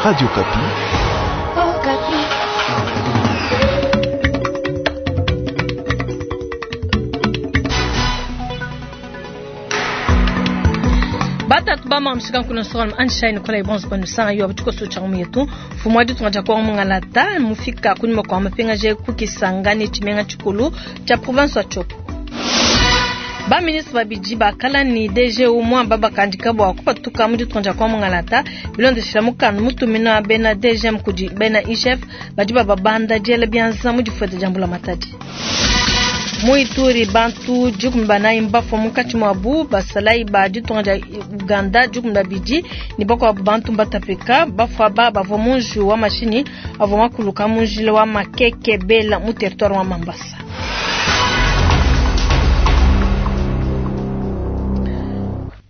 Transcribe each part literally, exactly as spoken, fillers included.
Radio Okapi. Batatu bamamshika nkuna soral anshine kola ibonzo panu sanga yo abutuko so changu yetu fumwa ditu ngaja kwa mungalata mufika kunyuma kwa mapenga je kukisangani chimenga chikulu cha province wa Tshopo. Ba ministre babidi bakala ni D G umwa baba kandika bwa kupatuka mu ditu kwa mungalata bilondeshela mukanu mutumina bena D G M kudi bena I G F badi baba banda jele bianza mu difueta jambula matadi. Muituri bantu dikumi banayi mbafua munkatshi muabu basalayi ba ditunga dia Uganda dikumi babidi ne bakuabu bantu mbatapika bafua ba bavua munji wa mashinyi avua makuluka munjila wa Makeke Bela mu territoire wa Mambasa.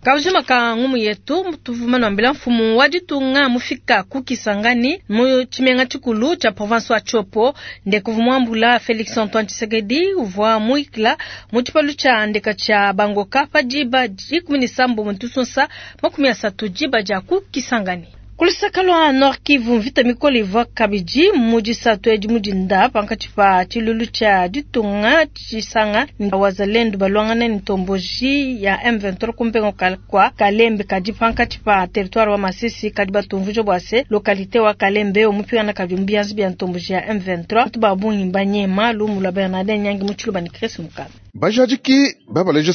Kaujuma ka ngumu yetu mutuvuma nambila mfumu wa ditunga mufika kukisangani mu chimenga chikulu cha province wa Tshopo ndekuvumwambula Felix Antoine Tshisekedi uvwa muikla mu tshipalu tsha ndeka tsha bangoka pa diba dikumi ne sambo mutusunsa makumi asatu diba dia kukisangani. Kulusaka Nord Kivu mvita mikole ivua kabidi mu disatu edi mu dinda pankatshi pa tshilulu tsha ditunga tshisanga ni wazalendo balwangana ni ntomboji ya M vingt-trois kumpengo kwa Kalembe kadi pankatshi pa territoire wa Masisi kadi batumvujo bwa se localité wa Kalembe omupikana kadi mbianzi bya ntomboji ya M vingt-trois tubabungi mbanyema lumu lwa Bernardin Nyangi mu tshiluba ni Chris Mukaba. Bajadiki babaleje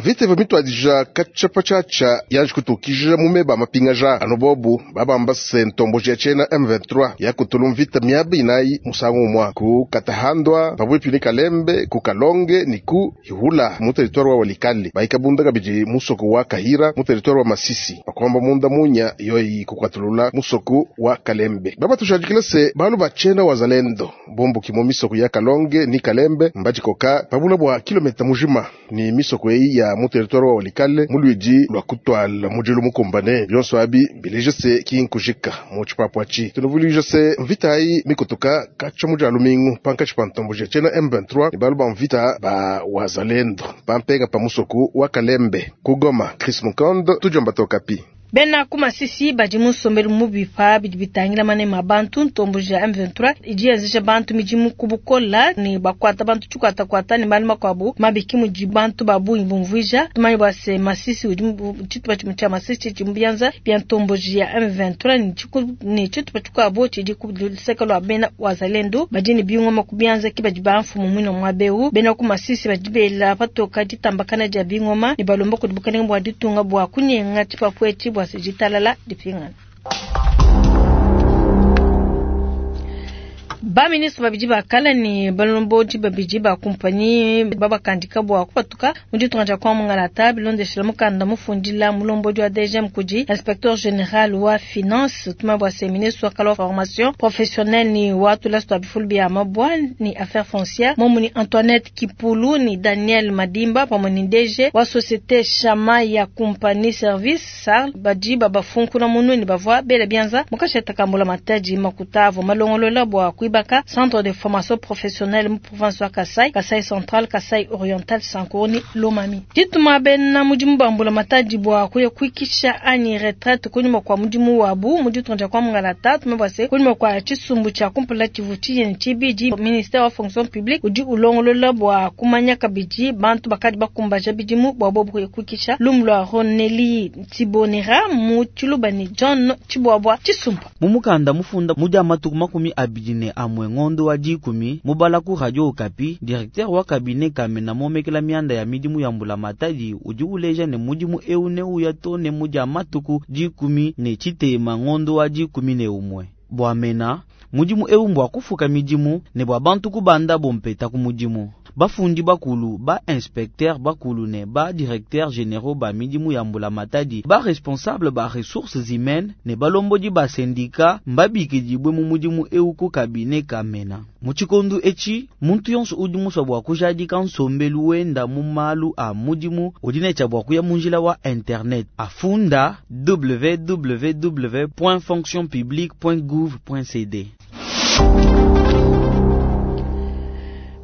vite vmitwadija kachapa chacha yaje kutukija mumeba mapingaja anobobu babamba se ntomboji ya chena M vingt-trois ya kutulu mvita miabi inayi musangu mwa ku katahandwa pabuipi ni Kalembe ku Kalonge ni ku Hihula mu territoire wa Walikale baikabunda kabidi musoko wa Kahira mu territoire wa Masisi bakwamba munda munya yoyi kukwatulula musoko wa Kalembe baba tushadikila se balu bachena wazalendo bombo kimo misoko ya Kalonge ni Kalembe mbajikoka pabula bwa kilomita mujima ni misoko eyi ya mu territoire wa Walikale mulwidi lwa kutwala mudilu mukumbane byonso abi bileje se kinkujika mu tshipapwachi tunuvulije se mvita ayi mikutuka kacha mujalu mingu panka tshipantomboje tshena M vingt-trois ni balu ba mvita ba wazalendo pampega pa musoko wa Kalembe kugoma Chris Mukondo tujomba tokapi. Bena kumasisi badi musombelu mubipa bidi bitangila mane mabantu ntomboji ya M vingt-trois idi yazisha bantu midimu kubukola ni bakwata bantu tshikwata kwata ni bali makwabu mabiki mudi bantu babungi bumvuija tumanye bwa se Masisi udi tshitupa tshimue tshia Masisi tshidi mubianza bya ntomboji ya M vingt-trois ni tshiku ni tshitupa tshikuabu tshidi ku luseke lwa bena wazalendo badi ni bingoma kubianza ki badi ba mfumu mwino mwabeu bena kumasisi badi bela patoka ditambakana dia bingoma ni balomba kudi bukalenga bwa ditunga bwa kunyenga tshipapwe bwa sejitalala dipingana. Ba ministre babidi bakala ni balomboji babidi ba compagnie babakandika bwa kupatuka mu ditunga dia kwa mungalata bilondeshela mukanda mufundila mulomboji wa D G M kudi inspecteur général wa finance tuma bwa se ministre wa kala formation professionnelle ni watu la sto bifulu bya mabwa ni affaires foncières momu ni Antoinette Kipulu ni Daniel Madimba pamwe ni D G wa société Chama ya compagnie service S A R badi babafunkuna munu ni bavwa bela bianza mukasheta kambula mataji makutavo malongolola bwa kuibaka centre de formation professionnelle mu province wa Kasai, Kasai Central, Kasai Oriental, Sankoni, Lomami. Dituma bena mudimu bambula matadi bwa kuya kuikisha ani retraite kunyuma kwa mudimu wabu muditu kwa mungalata tumebwase kunyuma kwa chisumbu cha kumpula chivuti ni chibidi ministère wa fonction publique udi ulongolola bwa kumanya kabidi bantu bakadi bakumbaja bidimu bwa bobu kuya kuikisha lumlwa Roneli Tibonera mu Chilubani John Chibwabwa Chisumbu. Mumukanda mufunda mudia matuku makumi abidi ne amwe ngondo wa dikumi mubala ku Radio Okapi directeur wa cabinet kamena momekela mianda ya midimu ya mbula matadi udi uleja ne mudimu eu ne uya to ne mudia matuku dikumi ne chitema ngondo wa dikumi ne umwe bwa mena mudimu eu mbwa kufuka midimu ne bwa bantu kubanda bompeta ku mudimu bafundi bakulu ba inspecteur bakulu ne ba directeur généraux ba midimu ya mbula matadi ba responsable ba ressources humaines ne balombodi ba syndicat mbabikidibwe mu mudimu eu ku cabinet kamena muchikondu echi muntu yonso udi muswa bwa kujadika nsombelu wenda mu malu a mudimu udi ne tshia bwa kuya munjila wa internet afunda w w w point fonction publique point gouv point c d.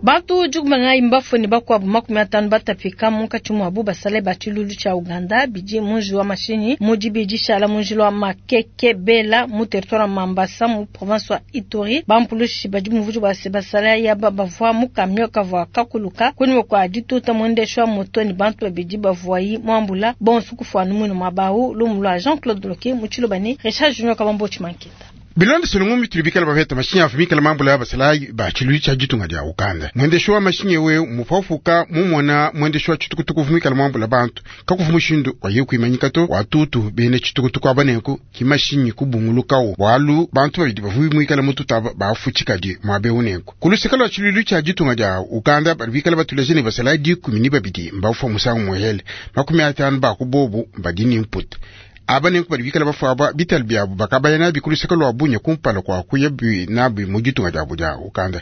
Bantu dikumi na mbafue ne bakuabu makumi atanu batapika munkatshi muabu basale ba tshiluilu tshia Uganda bidi mu njiwu wa mashinyi mu dibidi shala mu njila wa Makeke Bela mu territoire wa Mambasa mu province wa Ituri. Bampulushi badi muvudi bua se basale yaba bavua mu camion kavua kakuluka kunyima kua dituta muendeshi wa moto ne bantu babidi bavuayi muambula bonso kufuana mwino mabau lumu lwa Jean-Claude Loke mu Tshiluba ne Richard Junior Kabambo Chimankita. Bilondeshile ngumu tulibikala bapeta mashinyi afumikala mambo ya basalayi ba tshiluilu tshia ditunga dia Uganda. Mwendeshi wa mashinyi we mupafuka mumona mwendeshi wa tshitukutuku vumikala mambo la bantu kakuvu mushindu wa ye kuimanyika to watutu bene tshitukutuku abaneku kimashinyi kubungulukawo bwalu bantu babidi bavumikala mututaba bafuchikadi mwabe unenku kulusekalo wa tshiluilu tshia ditunga dia Uganda balibikala batuleje ne basalayi dikumi ni babidi mbafufa musangu muhele makumi atanu bakubobu mbadini mputa aba nenku balibikala bafuaba bitali byabu bakabaya nabi kuluseka lwa bunya kumpala kwa kuya bi nabi mu ditunga diabu dia Uganda.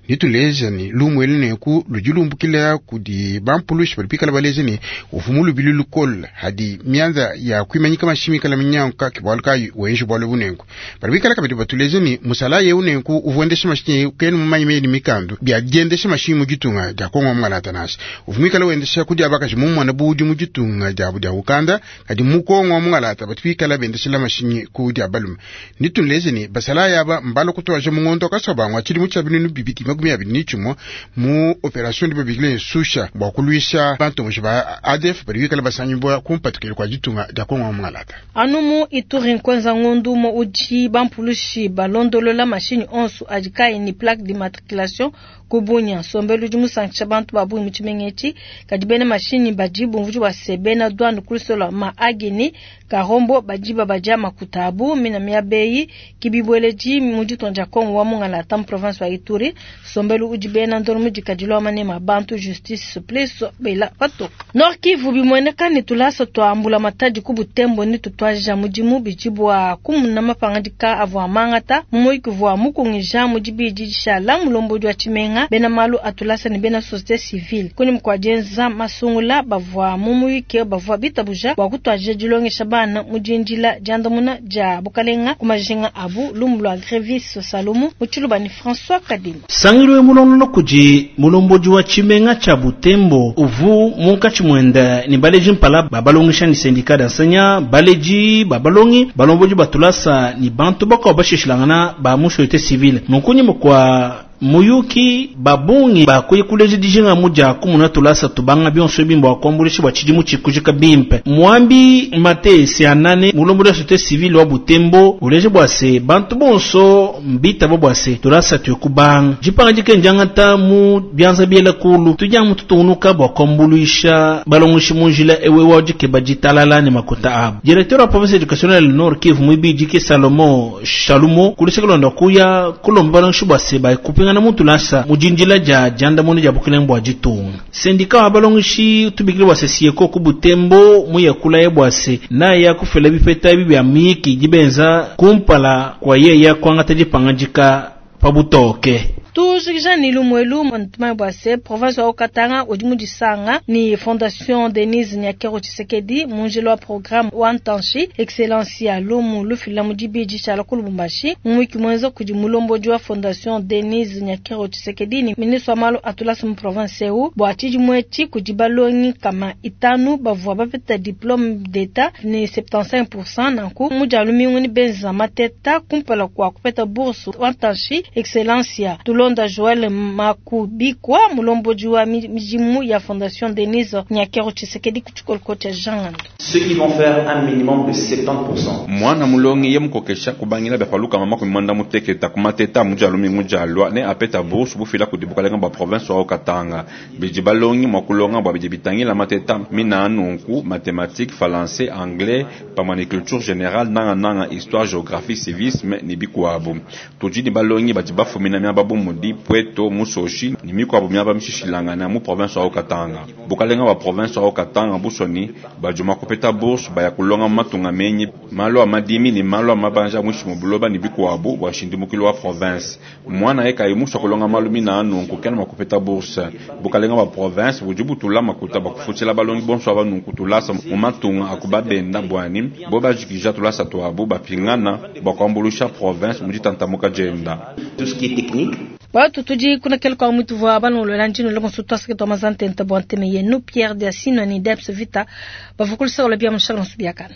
Nituleja ni lumwele nenku ludilumbukila kudi bampulushi balibikala baleja ni ufumu lubili lukola hadi mianza ya kwimanyika mashimikala minyanka kibwalu kayi wenji bwalu bunenku balibikala kabidi batuleja ni musala yeu nenku uvuendesha mashinyi kenu mumanyi meni mikandu bya diendesha mashinyi mu ditunga dia Kongo mwangalata nasi uvumikala wendesha kudi abakaji mumwana budi mu ditunga diabu dia Uganda kadi mu Kongo mwangalata batwikala bendeshela mashinyi ku dia balume. Nitunleze ni basala yaba mbalo kutwaje mungondo kasobangwa chili mucha binunu bibiti makumi abiri n'ichimo mu operation dibabikile susha bwa kulwisha bantu mushiba A D F barikala basanyibwa kumpatukile kwa ditunga dia Kongo mwangalata. Anumu Ituri nkwenza ngondu mo uji bampulushi balondolola mashinyi onsu ajikai ni plaque d'immatriculation kubunya sombelu di musankisha bantu babu muchimengechi kadi bene mashinyi bajibu mvuji wa sebena douane kulisola ma agini karombo bajiba baja makutabu mina miabeyi kibibweleji muditonja Kongo wa mungalata mu province wa Ituri sombelu uji bena ndoro mudikadilo manema bantu justice please bela pato Nord Kivu bimweneka ni tulasa twambula matadi kubutembo ni tutwaja mudimu bijibwa kumuna mapangadika avwa mangata mumuikuvwa mukungija mudibidi shala mulombo wa chimenga bena malu atulasa ni bena société civile kuni mkwajenza masungula bavwa mumuike bavwa bitabuja bwa kutwaje dilongesha bana mujinjila jandamuna ja bukalenga kumajinga abu lumbu lwa Grevis Salomo muchiluba ni François Kadima. Sangilwe mulonolo kuji mulomboji wa chimenga cha Butembo uvu munkachi mwenda ni baleji mpala babalongisha ni syndicat d'enseignants baleji babalongi balomboji batulasa ni bantu bako bashishilangana ba mu société civile nunkunyi mukwa muyuki babungi bakuye kuleji dijinga muja kumuna tulasa tubanga bionso bimbo akombulishi bwa chidimu chikujika bimpe mwambi mate sianane mulombo la société civile wa Butembo uleje bwase bantu bonso mbita bo bwase tulasa tukubanga jipanga jikenjanga mu byanza biela kulu tujya mututunuka bwa kombulisha balongoshi munjila ewe wajike bajitalala ne makuta abo. Directeur wa province éducationnelle Nord Kivu mwibiji ke Salomo Shalumo kulisekelonda kuya kulomba balongoshi bwase ba na mutu lasa mujinjila ja janda mone ja bukeleng bwa jitunga sendika wa balongishi tubikile bwa sesieko ku Butembo muye kula ye bwase na ya kufela bipeta bi bya miki jibenza kumpala kwa ye ya kwanga tajipanga jika pabutoke. Tujikija ni lumwelu mwantumai bwase province wa Okatanga odimu disanga ni Fondation Denise Nyakeru Tshisekedi munjelo wa programme wa Ntanshi Excellence ya lumu lufila mudibiji chala kulubumbashi mwiki mwenza kudi mulomboji wa Fondation Denise Nyakeru Tshisekedi ni ministre wa malu atulasa mu province eu bwa tshidi mwechi kudi balongi kama itanu bavua bapeta diplôme d'état ni soixante-quinze pour cent nanku mujalu mingu ni benza mateta kumpala kwa kupeta bourse wa Ntanshi Excellence ya Tulonda Joël Makubikwa mulomboji wa mijimu ya Fondation Denise Nyakeru Tshisekedi kuchukolko cha Jean. Ceux qui vont faire un minimum de soixante-dix pour cent. Mwana mulongi ye mukokesha kubangila befaluka mama kumanda muteketa kumateta mujalu mingu ne apeta bourse bufila kudibukalenga ba province wa Katanga. Biji balongi mwakulonga bwa biji bitangila mateta mina nunku mathématiques, français, anglais, pamani culture générale nanga nanga histoire, géographie, civisme ni bikuabu. Tuji ni balongi baji bafumina mya babu mudi Pweto Musoshi ni mikwabu mya bamshishilanga na mu province wa Katanga. Bukalenga wa province wa Katanga busoni bajuma kupeta bourse baya kulonga matunga menyi malo amadimi ni malo amabanja mwishi mubuloba ni bikuabu wa shindimukilo wa province. Mwana eka imusha kulonga malu mina nunku kena makupeta bourse. Bukalenga wa province bujubutula makuta bakufutila balongi bonso abanunku tulasa mu matunga akubabenda bwani boba jikija tulasa twabu bapingana bakwambulusha province mujitantamuka jenda. Tout ce qui est technique. Batu tudi kunakela kwa mutu vwa balongolola njino le bonso twasake twa mazantenta bwa nteme yenu Pierre Diasino ni Debs Vita bavukulusa ola bia mushala nsubiakana.